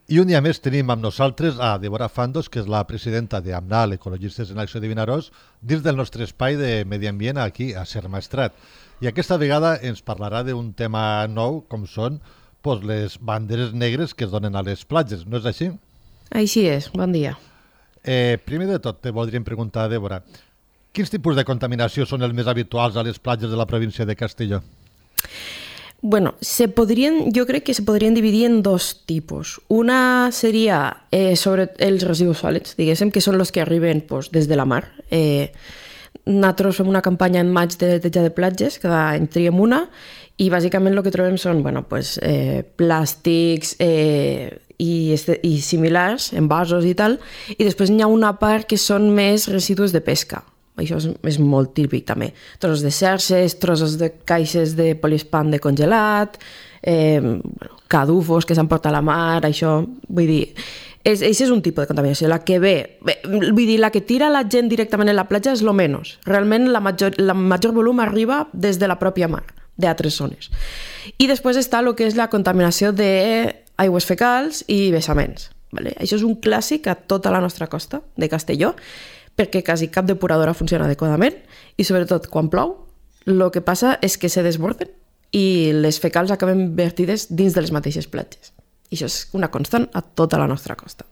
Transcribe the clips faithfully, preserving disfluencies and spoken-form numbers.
I un dia més tenim amb nosaltres a Débora Fandos, que és la presidenta d'AMNAL, Ecologistes en Acció de Vinaròs, dins del nostre espai de medi ambient aquí a Ser Maestrat. I aquesta vegada ens parlarà d'un tema nou, com són pues, les banderes negres que es donen a les platges, no és així? Així és, bon dia. Eh, primer de tot, te voldríem preguntar, Débora, quins tipus de contaminació són els més habituals a les platges de la província de Castelló? Bueno, se podrien, jo crec que se podrien dividir en dos tipus. Una seria eh, sobre els residus sòlids, diguéssim, que són els que arriben pues, des de la mar. Eh, nosaltres fem una campanya en maig de neteja de platges, cada any triem una, i bàsicament el que trobem són bueno, pues, eh, plàstics eh, i, este, i similars, envasos i tal, i després n'hi ha una part que són més residus de pesca. Això és, és molt típic també. Trossos de xarxes, trossos de caixes de poliespan de congelat, eh, bueno, cadufos que s'han portat a la mar, això, vull dir, és, això és un tipus de contaminació. La que ve, bé, vull dir, la que tira la gent directament en la platja és lo menys. Realment la major, la major volum arriba des de la pròpia mar, d'altres zones. I després està el que és la contaminació d'aigües fecals i vessaments. Vale? Això és un clàssic a tota la nostra costa de Castelló, perquè quasi cap depuradora funciona adequadament i sobretot quan plou el que passa és que se desborden i les fecals acaben vertides dins de les mateixes platges. I això és una constant a tota la nostra costa.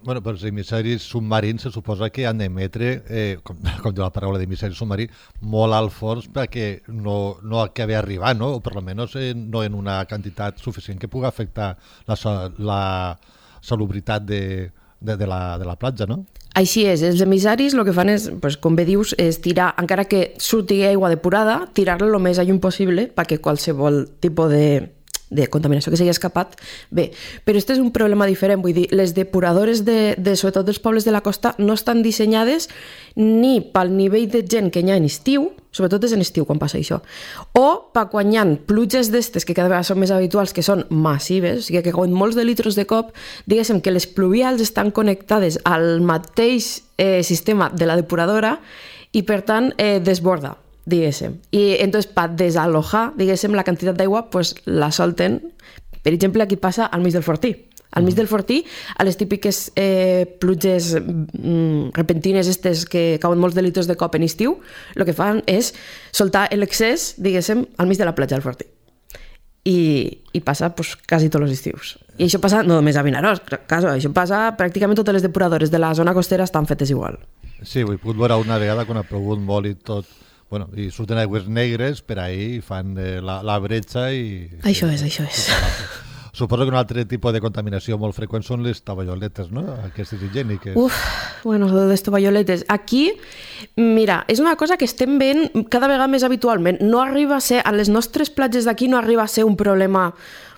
Bueno, però els emissaris submarins se suposa que han d'emetre, eh, com, com diu la paraula d'emissari submarí, molt alt fons perquè no, no acabi arribant, no? O per almenys eh, no en una quantitat suficient que pugui afectar la, la salubritat de, de, de, la, de la platja, no? Així és, els emissaris el que fan és, pues, com bé dius, és tirar, encara que surti aigua depurada, tirar-la el més lluny possible perquè qualsevol tipus de, de contaminació que s'hagi escapat, bé. Però aquest és un problema diferent, vull dir, les depuradores de, de sobretot dels pobles de la costa no estan dissenyades ni pel nivell de gent que hi ha en estiu, sobretot és en estiu quan passa això, o per quan hi ha pluges d'estes que cada vegada són més habituals, que són massives, o sigui que cauen molts de litros de cop, diguéssim que les pluvials estan connectades al mateix eh, sistema de la depuradora i per tant eh, desborda, diguéssim. I entonces per desalojar, diguéssim, la quantitat d'aigua, pues, la solten, per exemple, aquí passa al mig del Fortí. Al mig del Fortí, a les típiques eh, pluges mm, repentines estes que cauen molts de litros de cop en estiu, el que fan és soltar l'excés, diguéssim, al mig de la platja del Fortí. I, i passa pues, quasi tots els estius. I això passa no només a Vinaròs, caso, això passa pràcticament totes les depuradores de la zona costera estan fetes igual. Sí, ho he pogut veure una vegada quan ha plogut molt i tot. Bueno, i surten aigües negres per ahí i fan eh, la, la bretxa i... Això sí, és, això és. Suposo que un altre tipus de contaminació molt freqüent són les tovalloletes, no? Aquestes higièniques. Uf, bueno, les tovalloletes. Aquí, mira, és una cosa que estem veient cada vegada més habitualment. No arriba a ser, a les nostres platges d'aquí no arriba a ser un problema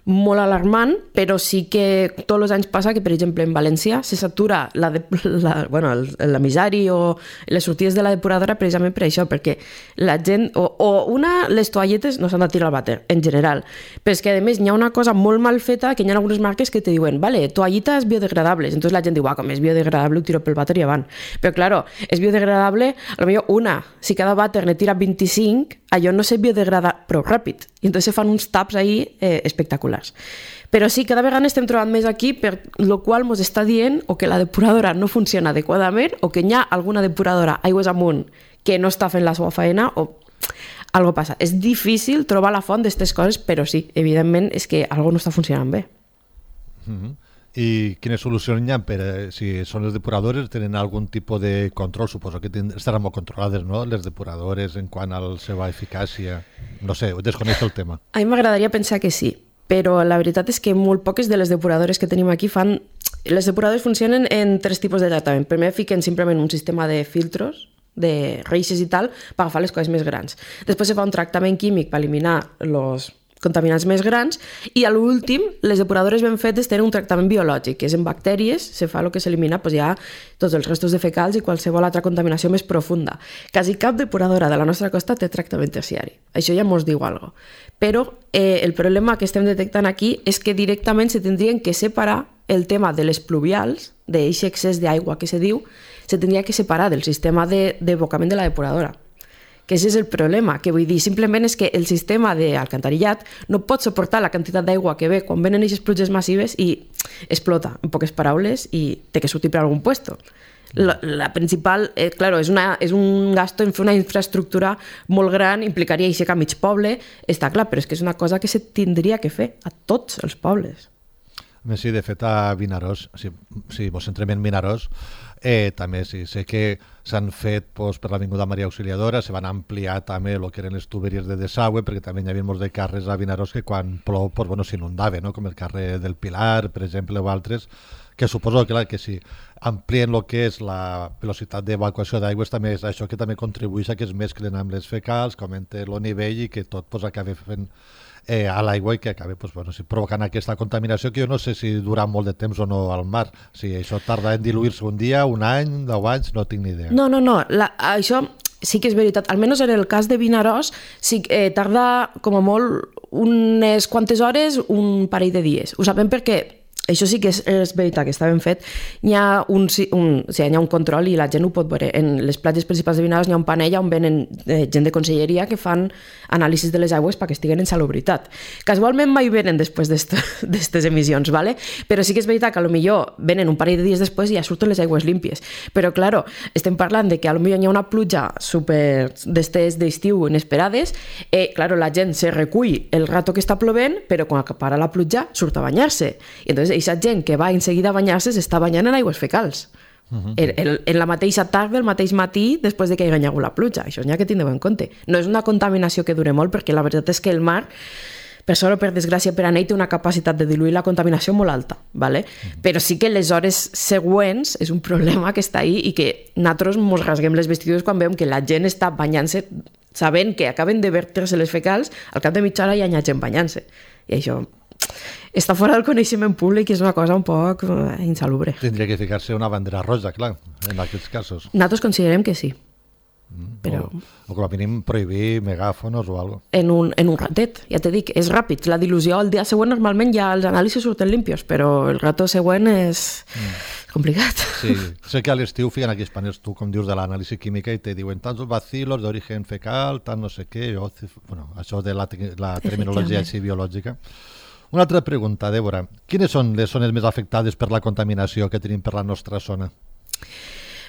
molt alarmant, però sí que tots els anys passa que, per exemple, en València se satura la de, la, bueno, l'emissari o les sortides de la depuradora precisament per això, perquè la gent, o, o una, les toalletes no s'han de tirar al vàter, en general, però és que a més hi ha una cosa molt mal feta, que hi ha algunes marques que te diuen, vale, toallites biodegradables, entonces la gent diu, ah, com és biodegradable, ho tiro pel vàter i avant. Però, claro, és biodegradable, a lo millor una, si cada vàter ne tira vint-i-cinc, allò no se biodegrada prou ràpid. I entonces se fan uns taps ahí eh, espectaculars. Però sí, cada vegada estem trobant més aquí, per lo qual ens està dient o que la depuradora no funciona adequadament o que hi ha alguna depuradora aigües amunt que no està fent la seva feina o algo passa. És difícil trobar la font d'aquestes coses, però sí, evidentment és que algo no està funcionant bé. Mm-hmm. I quines solucions hi ha per, si són les depuradores, tenen algun tipus de control? Suposo que estaran molt controlades, no?, les depuradores en quant a la seva eficàcia. No sé, desconeixo el tema. A mi m'agradaria pensar que sí, però la veritat és que molt poques de les depuradores que tenim aquí fan... Les depuradores funcionen en tres tipus de tractament. Primer fiquen simplement un sistema de filtros, de reixes i tal, per agafar les coses més grans. Després se fa un tractament químic per eliminar els contaminants més grans i a l'últim les depuradores ben fetes tenen un tractament biològic, que és en bactèries, se fa el que s'elimina pues, ja tots els restos de fecals i qualsevol altra contaminació més profunda. Quasi cap depuradora de la nostra costa té tractament terciari. Això ja mos diu alguna cosa. Però eh, el problema que estem detectant aquí és que directament se tindrien que separar el tema de les pluvials, d'aquest excés d'aigua que se diu, se tindria que separar del sistema d'abocament de, de la depuradora. que ese és el problema, que vull dir, simplement és que el sistema d'alcantarillat no pot suportar la quantitat d'aigua que ve quan venen aquestes pluges massives i explota, en poques paraules, i té que sortir per algun puesto. La, la principal, eh, claro, és, una, és un gasto en fer una infraestructura molt gran, implicaria aixecar mig poble, està clar, però és que és una cosa que se tindria que fer a tots els pobles. Sí, de fet, a Vinaròs, si, si vos centrem en Vinaròs, eh, també sí, sé que s'han fet pues, per l'Avinguda Maria Auxiliadora, se van ampliar també el que eren les tuberies de desagüe, perquè també hi havia molts de carrers a Vinaròs que quan plou pues, bueno, s'inundava, no? Com el carrer del Pilar, per exemple, o altres, que suposo que, clar, que si amplien el que és la velocitat d'evacuació d'aigües, també és això que també contribueix a que es mesclen amb les fecals, que augmenta el nivell i que tot pues, acabi fent eh, a l'aigua i que acabi pues, bueno, si provocant aquesta contaminació que jo no sé si dura molt de temps o no al mar. Si això tarda en diluir-se un dia, un any, deu anys, no tinc ni idea. No, no, no. La, això sí que és veritat. Almenys en el cas de Vinaròs sí que eh, tarda com a molt unes quantes hores, un parell de dies. Ho sabem perquè això sí que és, és veritat, que està ben fet. Hi ha un, un, o sigui, hi ha un control i la gent ho pot veure. En les platges principals de Vinaròs hi ha un panell on venen eh, gent de conselleria que fan anàlisis de les aigües perquè estiguen en salubritat. Casualment mai venen després d'aquestes emissions, ¿vale? Però sí que és veritat que potser venen un parell de dies després i ja surten les aigües límpies. Però, claro, estem parlant de que potser hi ha una pluja super d'estes d'estiu inesperades, eh, claro, la gent se recull el rato que està plovent, però quan acapara la pluja surt a banyar-se. I entonces aquesta gent que va en seguida a banyar-se s'està banyant en aigües fecals. Uh-huh. en, en, en la mateixa tarda, el mateix matí, després de que hi hagi la pluja. Això n'hi ha que tindre en compte. No és una contaminació que dure molt, perquè la veritat és que el mar, per sort o per desgràcia per a ell, té una capacitat de diluir la contaminació molt alta, ¿vale? Uh-huh. Però sí que les hores següents és un problema que està ahí i que nosaltres mos rasguem les vestidures quan veiem que la gent està banyant-se sabent que acaben de vertre-se les fecals, al cap de mitja hora ja hi ha gent banyant-se. I això està fora del coneixement públic i és una cosa un poc insalubre. Tindria que ficar-se una bandera roja, clar, en aquests casos. Nosaltres considerem que sí. Mm, però... o, o com a mínim prohibir megàfonos o alguna cosa. En un, en un ratet, ja t'he dit, és ràpid. La dilució el dia següent normalment ja els anàlisis surten limpios, però el rato següent és mm. complicat. Sí, sé que a l'estiu fiquen aquells panels, tu com dius, de l'anàlisi química i te diuen tants bacilos d'origen fecal, tant no sé què, o, bueno, això de la, la terminologia així biològica. Una altra pregunta, Débora. Quines són les zones més afectades per la contaminació que tenim per la nostra zona?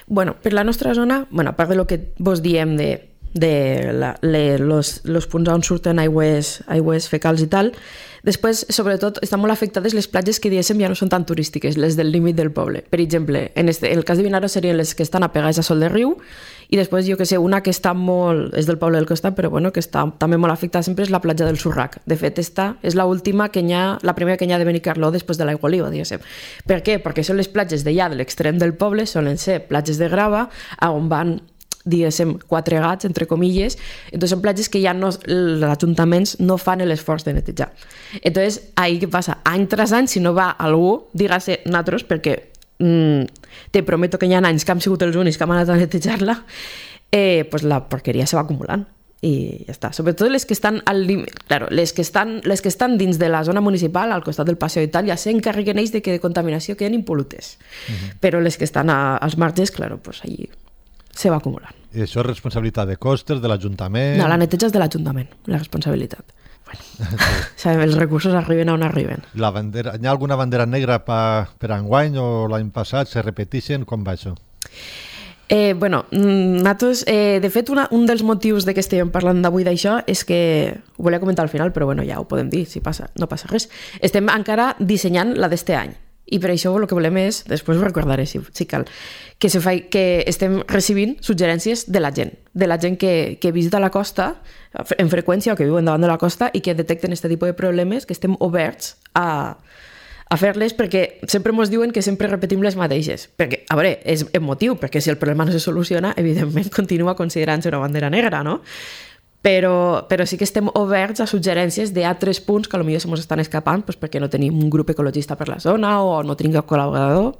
Bueno, per la nostra zona, bueno, a part de lo que vos diem de, de la, le, los, los punts on surten aigües, aigües fecals i tal, després, sobretot, estan molt afectades les platges que diguéssim ja no són tan turístiques, les del límit del poble. Per exemple, en este, el cas de Vinaròs serien les que estan apegades a Sol de Riu, i després, jo que sé, una que està molt... és del poble del costat, però bueno, que està també molt afectada sempre és la platja del Surrac. De fet, esta és l'última que hi ha, la primera que hi ha de Benicarló després de l'Aigua Oliva, diguéssim. Per què? Perquè són les platges d'allà, de l'extrem del poble, solen ser platges de grava, on van, diguéssim, quatre gats, entre comilles, entonces són platges que ja no, els ajuntaments no fan l'esforç de netejar. Entonces, ahí què passa? Any tras any, si no va algú, dígase nosaltres, perquè mm, te prometo que hi ha anys que hem sigut els únics que hem anat a netejar-la, eh, pues la porqueria se va acumulant i ja està. Sobretot les que estan al límit, claro, les que estan, les que estan dins de la zona municipal, al costat del Passeig i tal, ja s'encarreguen ells de que de contaminació queden impolutes. Uh-huh. Però les que estan a, als marges, claro, pues allí se va acumulant. I això és responsabilitat de costes, de l'Ajuntament? No, la neteja és de l'Ajuntament, la responsabilitat. Bueno, sí. Sabem, els recursos arriben on arriben. La bandera, hi ha alguna bandera negra pa, per enguany o l'any passat? Se repeteixen? Com va això? Eh, bueno, nosaltres, eh, de fet, una, un dels motius de que estem parlant d'avui d'això és que, ho volia comentar al final, però bueno, ja ho podem dir, si passa, no passa res. Estem encara dissenyant la d'este any. I per això el que volem és, després ho recordaré si, si cal, que, se fa, que estem recibint suggerències de la gent, de la gent que, que visita la costa en freqüència o que viuen davant de la costa i que detecten aquest tipus de problemes, que estem oberts a, a fer-les, perquè sempre ens diuen que sempre repetim les mateixes. Perquè, a veure, és emotiu, perquè si el problema no se soluciona, evidentment continua considerant-se una bandera negra, no? Però, però sí que estem oberts a suggerències d'altres punts que potser se ens estan escapant doncs perquè no tenim un grup ecologista per la zona o no tenim cap col·laborador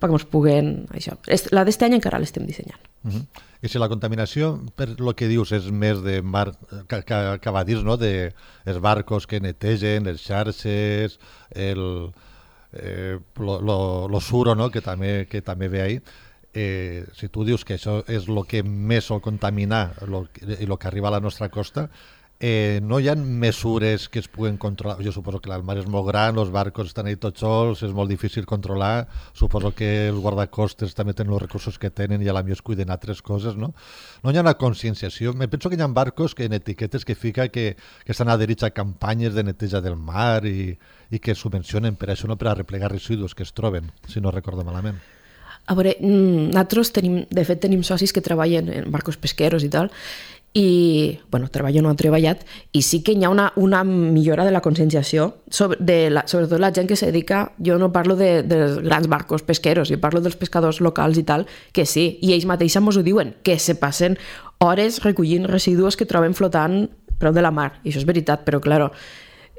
perquè ens puguen... Això. La d'este any encara l'estem dissenyant. Uh-huh. I si la contaminació, per lo que dius, és més de mar, que, que, que va dir, no? De els barcos que netegen, les xarxes, el, eh, lo, lo, lo suro, no? que, també, que també ve ahí. eh, si tu dius que això és el que més sol contaminar lo, i el que arriba a la nostra costa, eh, no hi ha mesures que es puguen controlar? Jo suposo que el mar és molt gran, els barcos estan ahí tots sols, és molt difícil controlar, suposo que els guardacostes també tenen els recursos que tenen i a la millor es cuiden altres coses, no? No hi ha una conscienciació. Me penso que hi ha barcos que en etiquetes que fica que, que estan adherits a campanyes de neteja del mar i, i que subvencionen per això, no per a replegar residus que es troben, si no recordo malament. A veure, nosaltres tenim, de fet tenim socis que treballen en barcos pesqueros i tal, i, bueno, treballo no han treballat, i sí que hi ha una, una millora de la conscienciació, sobre, de la, sobretot la gent que se dedica, jo no parlo de, dels grans barcos pesqueros, jo parlo dels pescadors locals i tal, que sí, i ells mateixos mos ho diuen, que se passen hores recollint residus que troben flotant prop de la mar, i això és veritat, però, claro,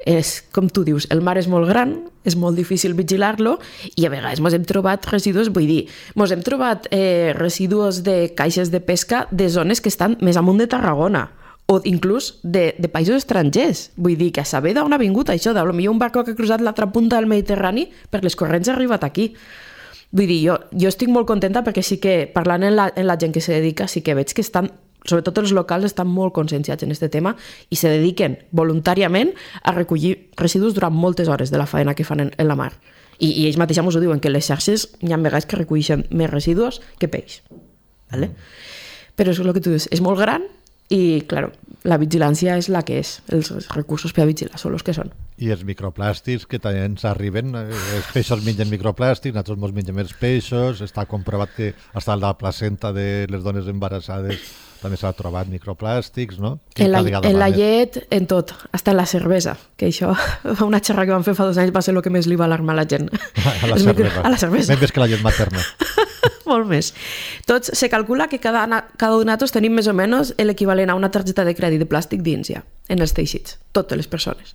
és com tu dius, el mar és molt gran, és molt difícil vigilar-lo i a vegades mos hem trobat residus, vull dir, mos hem trobat eh, residus de caixes de pesca de zones que estan més amunt de Tarragona o inclús de, de països estrangers. Vull dir, que a saber d'on ha vingut això, de potser un barco que ha cruzat l'altra punta del Mediterrani per les corrents ha arribat aquí. Vull dir, jo, jo estic molt contenta perquè sí que, parlant en la, en la gent que se dedica, sí que veig que estan, sobretot els locals, estan molt conscienciats en aquest tema i se dediquen voluntàriament a recollir residus durant moltes hores de la faena que fan en, en la mar. I, i ells mateixos us ho diuen, que les xarxes hi ha vegades que recolleixen més residus que peix. ¿Vale? Però és el que tu dius, és molt gran i, claro, la vigilància és la que és. Els recursos per a vigilar són els que són. I els microplàstics que també ens arriben, els peixos mengen microplàstics, nosaltres ens mengem els peixos, està comprovat que fins a la placenta de les dones embarassades també s'ha trobat microplàstics, no? En la, en la llet, en tot, fins en la cervesa, que això, una xerra que vam fer fa dos anys va ser el que més li va alarmar a la gent. A la cervesa. Micro... A la cervesa. Més que la llet materna. Molt més. Tots, se calcula que cada, cada un de nosaltres tenim més o menys l'equivalent a una targeta de crèdit de plàstic dins ja, en els teixits, totes les persones.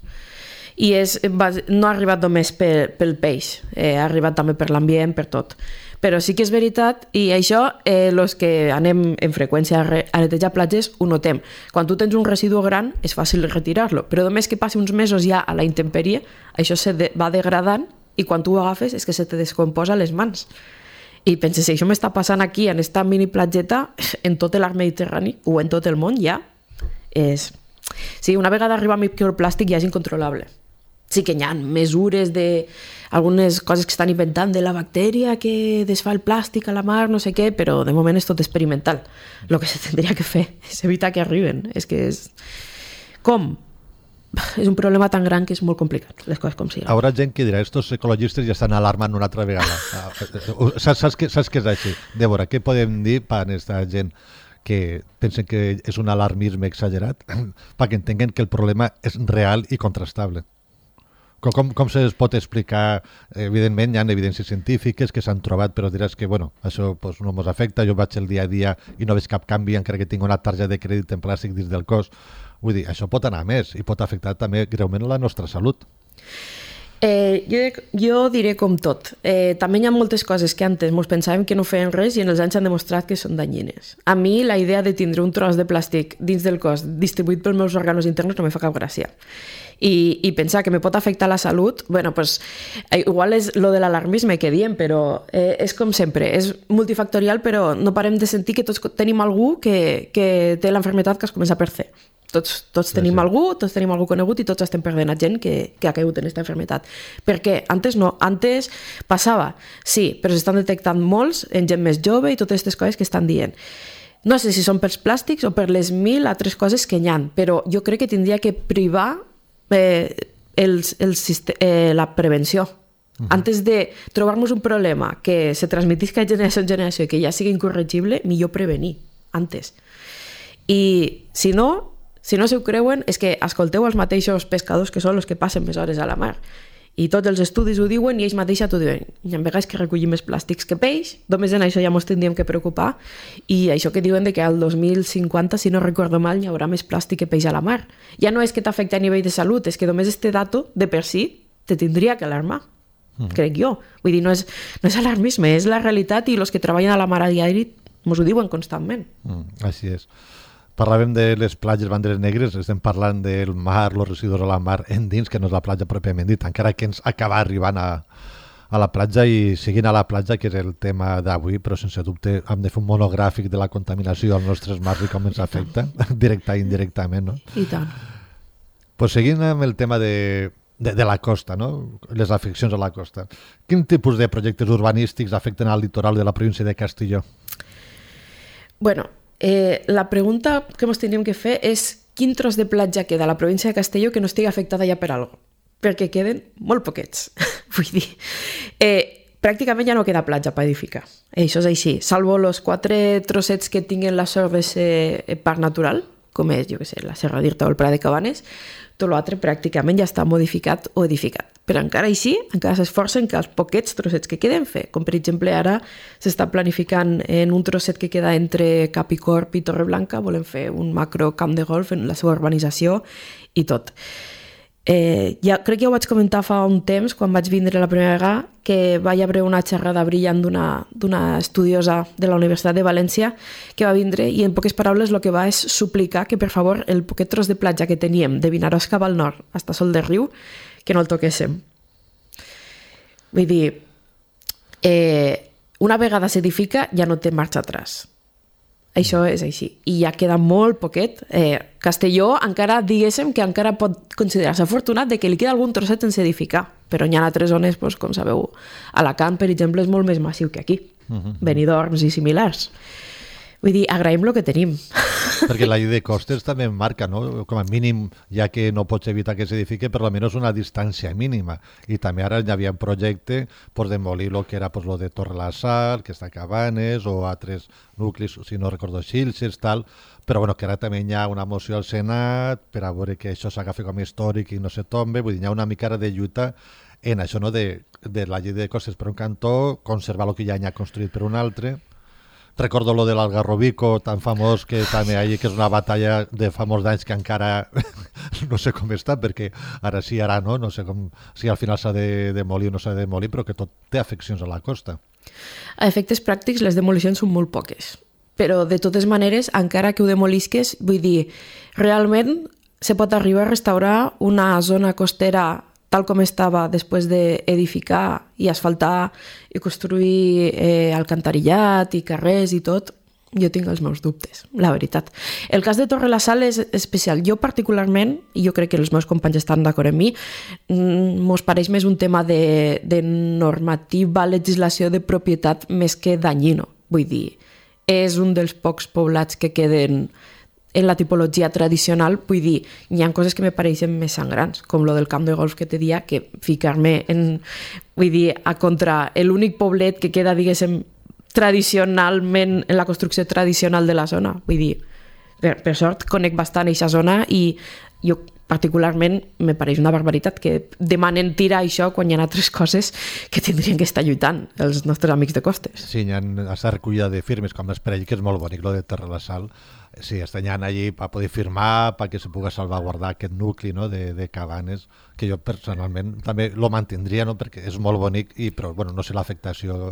I és, no ha arribat només pel, pel peix, eh, ha arribat també per l'ambient, per tot. Però sí que és veritat, i això, eh, els que anem en freqüència a, re, a netejar platges, ho notem. Quan tu tens un residu gran, és fàcil retirar-lo, però només que passi uns mesos ja a la intempèrie, això se de, va degradant i quan tu ho agafes és que se te descomposa a les mans. I penses, si això m'està passant aquí, en esta mini platgeta, en tot l'arc Mediterrani, o en tot el món, ja, és... Sí, una vegada arriba a microplàstic ja és incontrolable. Sí que hi ha mesures de algunes coses que estan inventant de la bactèria que desfà el plàstic a la mar, no sé què, però de moment és tot experimental. El que se tindria que fer és evitar que arriben. És que és... Com? És un problema tan gran que és molt complicat, les coses com siguin. Hi haurà gent que dirà, estos ecologistes ja estan alarmant una altra vegada. saps, saps, que, saps que és així? Débora, què podem dir per a aquesta gent que pensen que és un alarmisme exagerat perquè entenguen que el problema és real i contrastable? Com, com se pot explicar? Evidentment hi ha evidències científiques que s'han trobat, però diràs que bueno, això pues, no ens afecta, jo vaig el dia a dia i no veig cap canvi encara que tinc una targeta de crèdit en plàstic dins del cos. Vull dir, això pot anar més i pot afectar també greument la nostra salut. Eh, jo, jo diré com tot. Eh, també hi ha moltes coses que antes mos pensàvem que no feien res i en els anys han demostrat que són danyines. A mi la idea de tindre un tros de plàstic dins del cos distribuït pels meus òrgans interns no me fa cap gràcia. I, i pensar que me pot afectar la salut, bueno, pues, eh, igual és lo de l'alarmisme que diem, però eh, és com sempre, és multifactorial, però no parem de sentir que tots tenim algú que, que té l'enfermetat que es comença per C. Tots, tots tenim sí, sí. algú, tots tenim algú conegut i tots estem perdent a gent que, que ha caigut en aquesta enfermetat. Per què? Antes no, antes passava, sí, però s'estan detectant molts en gent més jove i totes aquestes coses que estan dient. No sé si són pels plàstics o per les mil altres coses que hi ha, però jo crec que tindria que privar eh, el, el, eh, la prevenció. Uh-huh. Antes de trobar-nos un problema que se transmetisca de generació en generació i que ja sigui incorregible, millor prevenir, antes. I si no, si no s'ho creuen, és que escolteu els mateixos pescadors que són els que passen més hores a la mar. I tots els estudis ho diuen i ells mateixos t'ho diuen. Hi ha vegades que recollim més plàstics que peix, només en això ja ens tindríem que preocupar, i això que diuen de que al dos mil cinquanta, si no recordo mal, hi haurà més plàstic que peix a la mar. Ja no és que t'afecti a nivell de salut, és que només este dato, de per si, te tindria que alarmar, mm. crec jo. Vull dir, no és, no és alarmisme, és la realitat i els que treballen a la mar a diari ens ho diuen constantment. Mm, així és. Parlàvem de les platges banderes negres, estem parlant del mar, els residus a la mar endins, que no és la platja pròpiament dit, encara que ens acaba arribant a, a la platja i siguin a la platja, que és el tema d'avui, però sense dubte hem de fer un monogràfic de la contaminació als nostres mars i com ens afecta, directa i indirectament, no? I tant. Pues seguint amb el tema de, de, de la costa, no? Les afeccions a la costa. Quin tipus de projectes urbanístics afecten al litoral de la província de Castelló? Bueno, eh, la pregunta que ens tindríem que fer és quin tros de platja queda a la província de Castelló que no estigui afectada ja per alguna cosa, perquè queden molt poquets. Vull dir, eh, pràcticament ja no queda platja per edificar. Això és així, salvo els quatre trossets que tinguen la sort de ser parc natural, com és, jo què sé, la Serra d'Irta o el Prat de Cabanes, tot l'altre pràcticament ja està modificat o edificat. Però encara així, encara s'esforcen que els poquets trossets que queden fer, com per exemple ara s'està planificant en un trosset que queda entre Capicorp i Torreblanca, volem fer un macro camp de golf en la seva urbanització i tot. Eh, ja, crec que ja ho vaig comentar fa un temps, quan vaig vindre la primera vegada, que vaig haver una xerrada brillant d'una estudiosa de la Universitat de València que va vindre i en poques paraules el que va és suplicar que per favor el poquet tros de platja que teníem de Vinaròs cap al nord fins a Sol de Riu, que no el toquéssim. Vull dir, eh, una vegada s'edifica ja no té marxa atràs. Això és així. I ja queda molt poquet. Eh, Castelló encara, diguéssim, que encara pot considerar-se afortunat de que li queda algun trosset sense edificar. Però hi ha altres zones, doncs, com sabeu, Alacant, per exemple, és molt més massiu que aquí. Uh-huh. Benidorm i similars. Vull dir, agraïm el que tenim. Perquè la llei de costes també marca, no? Com a mínim, ja que no pots evitar que s'edifique, per almenys una distància mínima. I també ara hi havia un projecte per demolir el que era pues, lo de Torre la Sal, que està a Cabanes, o altres nuclis, si no recordo, Xilxes, tal, però bueno, que ara també hi ha una moció al Senat per a veure que això s'agafi com a històric i no se tombe, vull dir, hi ha una mica de lluita en això, no? de, de la llei de costes per un cantó, conservar el que ja hi ha construït per un altre. Recordo lo de l'Algarrobico, tan famós, que també hi ha, que és una batalla de fa molts anys que encara no sé com està, perquè ara sí, ara no, no sé com, si al final s'ha de demolir o no s'ha de demolir, però que tot té afeccions a la costa. A efectes pràctics, les demolicions són molt poques, però de totes maneres, encara que ho demolisques, vull dir, realment se pot arribar a restaurar una zona costera tal com estava després d'edificar i asfaltar i construir eh, alcantarillat i carrers i tot, jo tinc els meus dubtes, la veritat. El cas de Torre la Sal és especial. Jo particularment, i jo crec que els meus companys estan d'acord amb mi, mos pareix més un tema de, de normativa, legislació de propietat més que dañino. Vull dir, és un dels pocs poblats que queden en la tipologia tradicional, vull dir, hi ha coses que me pareixen més sangrants, com lo del camp de golf que te dia, que ficar-me en, vull dir, a contra l'únic poblet que queda, diguéssim, tradicionalment, en la construcció tradicional de la zona. Vull dir, per, per sort, conec bastant aquesta zona i jo particularment me pareix una barbaritat que demanen tirar això quan hi ha altres coses que tindrien que estar lluitant els nostres amics de costes. Sí, hi ha aquesta recollida de firmes, com es parell, que és molt bonic, lo de Torre la Sal. Sí, estan allí per poder firmar, perquè se pugui salvaguardar aquest nucli, no? de, de Cabanes, que jo personalment també lo mantindria, no? perquè és molt bonic, i, però bueno, no sé l'afectació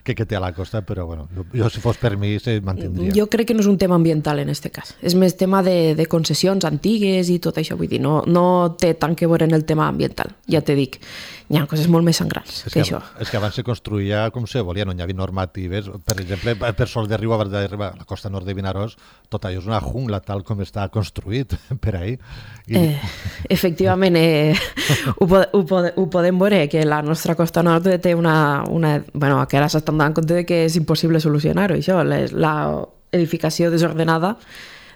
que, que té a la costa, però bueno, jo, jo si fos per mi se mantindria. Jo crec que no és un tema ambiental en aquest cas, és més tema de, de concessions antigues i tot això, vull dir, no, no té tant que veure en el tema ambiental, ja te dic. Hi ha coses molt més sangrants és que, que això. És que abans se construïa com se volia, no hi havia normatives. Per exemple, per Sol de Riu, abans d'arribar a la costa nord de Vinaròs, tot allò és una jungla tal com està construït per ahir. I... Eh, efectivament, eh, ho, ho, ho podem veure, que la nostra costa nord té una... una bueno, que ara s'estan donant compte de que és impossible solucionar-ho, això. L'edificació desordenada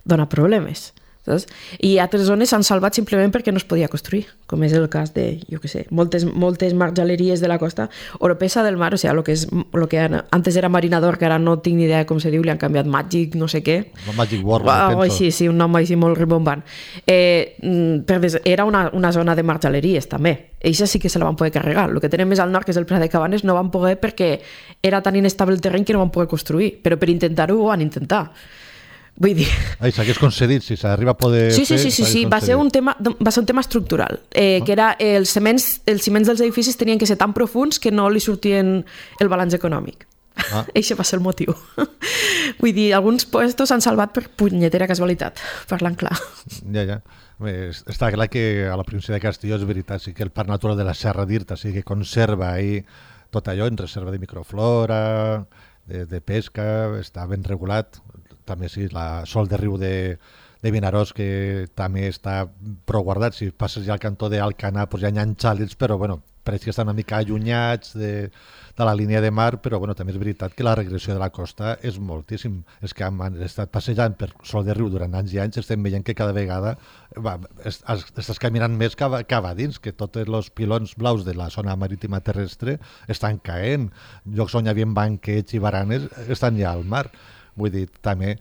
dona problemes. Saps? I altres zones s'han salvat simplement perquè no es podia construir, com és el cas de, jo què sé, moltes, moltes marjaleries de la costa. Oropesa del Mar, o sigui, lo que, és, lo que antes era Marinador, que ara no tinc ni idea com se diu, li han canviat Magic, no sé què. No, Magic World, oh, penso. Sí, sí, un nom així molt ribombant. Eh, era una, una zona de marjaleries, també. Eixa sí que se la van poder carregar. El que tenen més al nord, que és el Prat de Cabanes, no van poder perquè era tan inestable el terreny que no van poder construir. Però per intentar-ho ho van intentar. Vull dir... Ai, s'hagués concedit, si s'arriba a poder sí, sí, fer... Sí, sí, sí, va ser un tema, va ser un tema estructural, eh, oh. que era els ciments, els ciments dels edificis tenien que ser tan profuns que no li sortien el balanç econòmic. Ah. Eixe va ser el motiu. Vull dir, alguns puestos s'han salvat per punyetera casualitat, parlant clar. Ja, ja. Està clar que a la província de Castelló és veritat, sí que el Parc Natural de la Serra d'Irta sí que conserva ahí tot allò en reserva de microflora, de, de pesca, està ben regulat. També sí, la Sol de Riu de, de Vinaròs, que també està prou guardat. Si passes ja al cantó d'Alcanar, doncs ja hi ha xàlids, però bueno, pareix que estan una mica allunyats de, de la línia de mar, però bueno, també és veritat que la regressió de la costa és moltíssim. És que hem estat passejant per Sol de Riu durant anys i anys, estem veient que cada vegada va, es, es, estàs caminant més que a, que a dins, que tots els pilons blaus de la zona marítima terrestre estan caent. Llocs on hi havia banquets i baranes estan ja al mar. Vull dir, també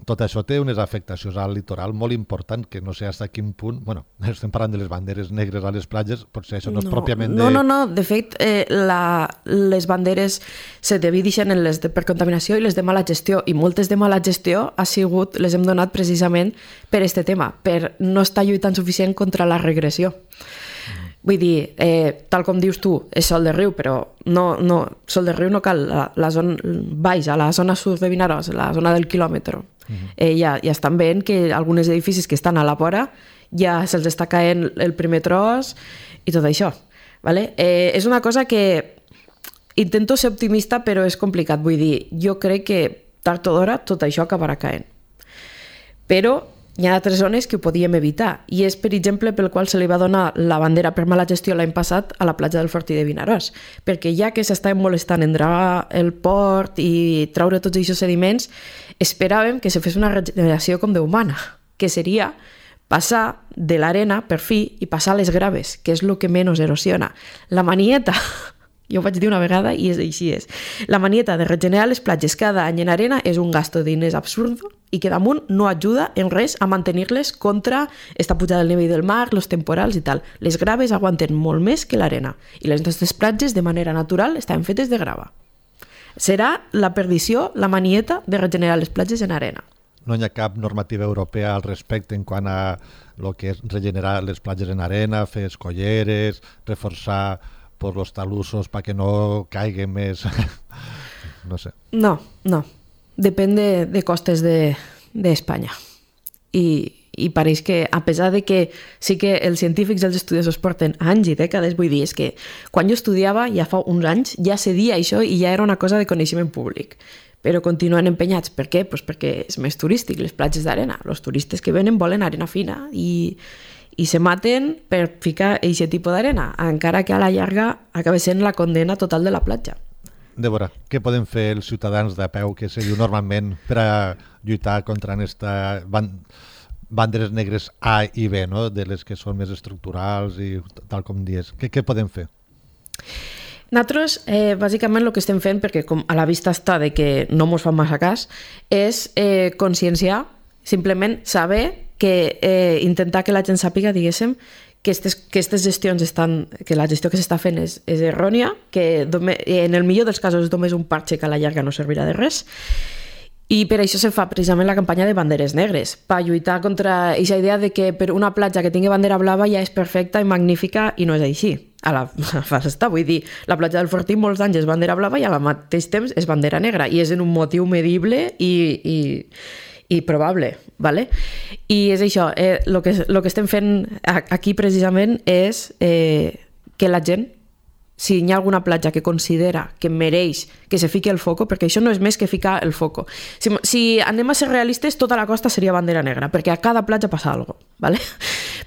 tot això té unes afectacions al litoral molt important, que no sé fins a quin punt... Bueno, estem parlant de les banderes negres a les platges, potser això no, no és pròpiament de... No, no, no. De fet, eh, la, les banderes se divideixen en les de, per contaminació i les de mala gestió, i moltes de mala gestió ha sigut, les hem donat precisament per este tema, per no estar lluitant suficient contra la regressió. Mm. Vull dir, eh, tal com dius tu, és Sol de Riu, però no, no, Sol de Riu no cal, la, la zona baix, a la zona sud de Vinaròs, la zona del quilòmetre. Uh-huh. eh, ja, ja estan veient que alguns edificis que estan a la vora ja se'ls està caent el primer tros i tot això, vale? Eh, és una cosa que intento ser optimista, però és complicat. Vull dir, jo crec que tard o d'hora tot això acabarà caent, però hi ha altres zones que ho podíem evitar, i és, per exemple, pel qual se li va donar la bandera per mala gestió l'any passat a la platja del Fortí de Vinaròs, perquè ja que s'estaven molestant en dragar el port i traure tots aquests sediments, esperàvem que se fes una regeneració com Déu mana, que seria passar de l'arena, per fi, i passar a les graves, que és el que menys erosiona. La manieta... Jo ho vaig dir una vegada i és així és. La manieta de regenerar les platges cada any en arena és un gasto de diners absurd i que damunt no ajuda en res a mantenir-les contra esta pujada del nivell del mar, els temporals i tal. Les graves aguanten molt més que l'arena i les nostres platges de manera natural estan fetes de grava. Serà la perdició, la manieta de regenerar les platges en arena. No hi ha cap normativa europea al respecte en quant a el que és regenerar les platges en arena, fer escolleres, reforçar por los talusos para que no caiguen més. No sé. No, no. Depèn de, de costes de, de Espanya. I, I pareix que, a pesar de que sí que els científics i els estudiosos porten anys i dècades, vull dir, és que quan jo estudiava, ja fa uns anys, ja se dia això i ja era una cosa de coneixement públic. Però continuen empenyats. Per què? Pues perquè és més turístic, les platges d'arena. Els turistes que venen volen arena fina i... i se maten per ficar aquest tipus d'arena, encara que a la llarga acaba sent la condena total de la platja. Débora, què poden fer els ciutadans de peu, que se diu normalment, per a lluitar contra aquesta banderes negres A i B, no? De les que són més estructurals i tal com dius? Què, què podem fer? Nosaltres, eh, bàsicament, el que estem fent, perquè com a la vista està de que no mos fan massa cas, és eh, conscienciar, simplement saber que eh, intentar que la gent sàpiga, diguéssim, que aquestes gestions estan, que la gestió que s'està fent és, és errònia, que dome, en el millor dels casos és només un parche que a la llarga no servirà de res, i per això se fa precisament la campanya de banderes negres, per lluitar contra aquesta idea de que per una platja que tingui bandera blava ja és perfecta i magnífica, i no és així. A la fase està, vull dir, la platja del Fortí molts anys és bandera blava i al mateix temps és bandera negra, i és en un motiu medible i... i i probable, ¿vale? I és això, eh, lo que, lo que estem fent aquí precisament és eh, que la gent, si hi ha alguna platja que considera que mereix que se fiqui el foco, perquè això no és més que ficar el foco. Si, si anem a ser realistes, tota la costa seria bandera negra, perquè a cada platja passa alguna cosa, ¿vale?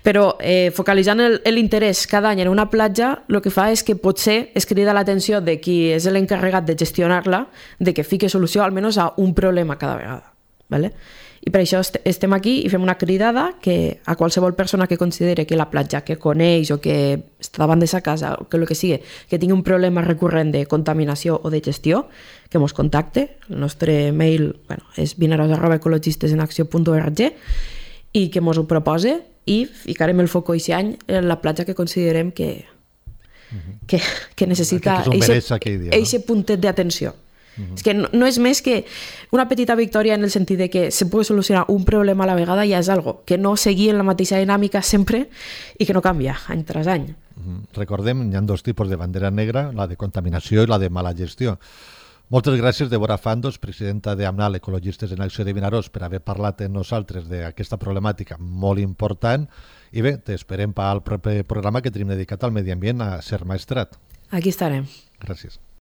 Però eh, focalitzant l'interès cada any en una platja, el que fa és que potser es crida l'atenció de qui és l'encarregat de gestionar-la, de que fique solució almenys a un problema cada vegada. Vale? I per això est estem aquí i fem una cridada que a qualsevol persona que considere que la platja que coneix o que està davant de sa casa o que el que sigui, que tingui un problema recurrent de contaminació o de gestió, que mos contacte. El nostre mail, bueno, és vinaròs arroba ecologistesenacció punt org, i que mos ho propose i ficarem el foc aquest any en la platja que considerem que, uh-huh. que, que necessita aquest puntet d'atenció. Uh-huh. És que no, no és més que una petita victòria en el sentit de que se pugui solucionar un problema a la vegada, ja és algo que no seguir en la mateixa dinàmica sempre i que no canvia any tras any. Uh-huh. Recordem, hi ha dos tipus de bandera negra, la de contaminació i la de mala gestió. Moltes gràcies, Débora Fandos, presidenta d'AMNAL, Ecologistes en Acció de Vinaròs, per haver parlat amb nosaltres d'aquesta problemàtica molt important. I bé, t'esperem per al proper programa que tenim dedicat al medi ambient a Ser Maestrat. Aquí estarem. Gràcies.